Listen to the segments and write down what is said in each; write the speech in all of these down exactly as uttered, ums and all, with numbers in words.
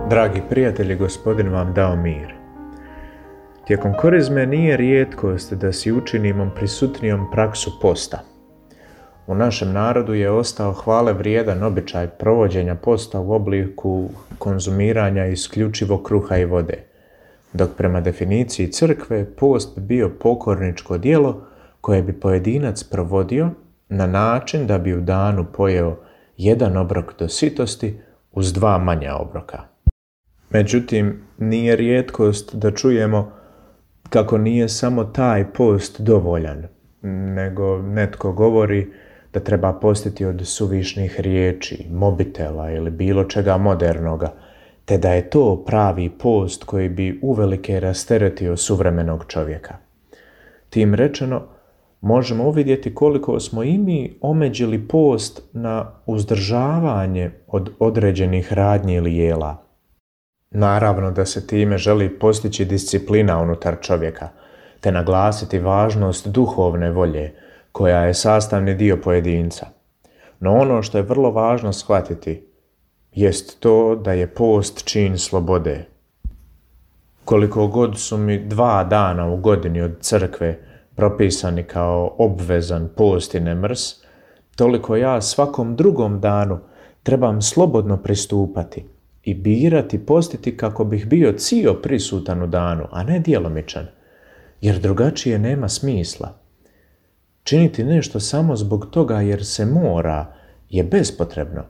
Dragi prijatelji, Gospodin vam dao mir. Tijekom korizme nije rijetkost da si učinimo prisutnijom praksu posta. U našem narodu je ostao hvale vrijedan običaj provođenja posta u obliku konzumiranja isključivo kruha i vode, dok prema definiciji crkve post bi bio pokorničko djelo koje bi pojedinac provodio na način da bi u danu pojeo jedan obrok do sitosti uz dva manja obroka. Međutim, nije rijetkost da čujemo kako nije samo taj post dovoljan, nego netko govori da treba postiti od suvišnih riječi, mobitela ili bilo čega modernoga, te da je to pravi post koji bi uvelike rasteretio suvremenog čovjeka. Tim rečeno, možemo uvidjeti koliko smo i mi omeđili post na uzdržavanje od određenih radnji ili jela. Naravno da se time želi postići disciplina unutar čovjeka, te naglasiti važnost duhovne volje, koja je sastavni dio pojedinca. No ono što je vrlo važno shvatiti, jest to da je post čin slobode. Koliko god su mi dva dana u godini od crkve propisani kao obvezan post i nemrs, toliko ja svakom drugom danu trebam slobodno pristupati i birati postiti kako bih bio cio prisutan u danu, a ne djelomičan, jer drugačije nema smisla. Činiti nešto samo zbog toga jer se mora je bespotrebno,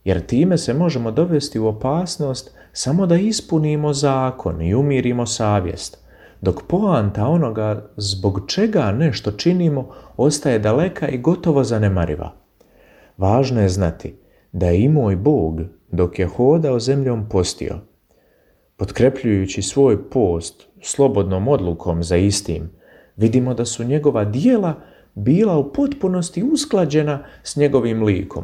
jer time se možemo dovesti u opasnost samo da ispunimo zakon i umirimo savjest, dok poanta onoga zbog čega nešto činimo ostaje daleka i gotovo zanemariva. Važno je znati da je i moj Bog, dok je hodao zemljom, postio. Potkrepljujući svoj post slobodnom odlukom za istim, vidimo da su njegova djela bila u potpunosti usklađena s njegovim likom.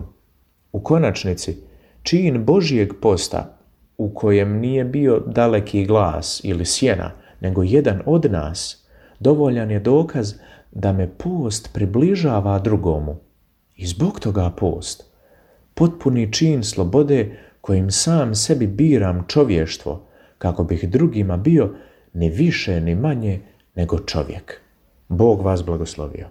U konačnici, čin Božijeg posta, u kojem nije bio daleki glas ili sjena, nego jedan od nas, dovoljan je dokaz da me post približava drugomu. I zbog toga post, potpuni čin slobode kojim sam sebi biram čovještvo, kako bih drugima bio ni više ni manje nego čovjek. Bog vas blagoslovio.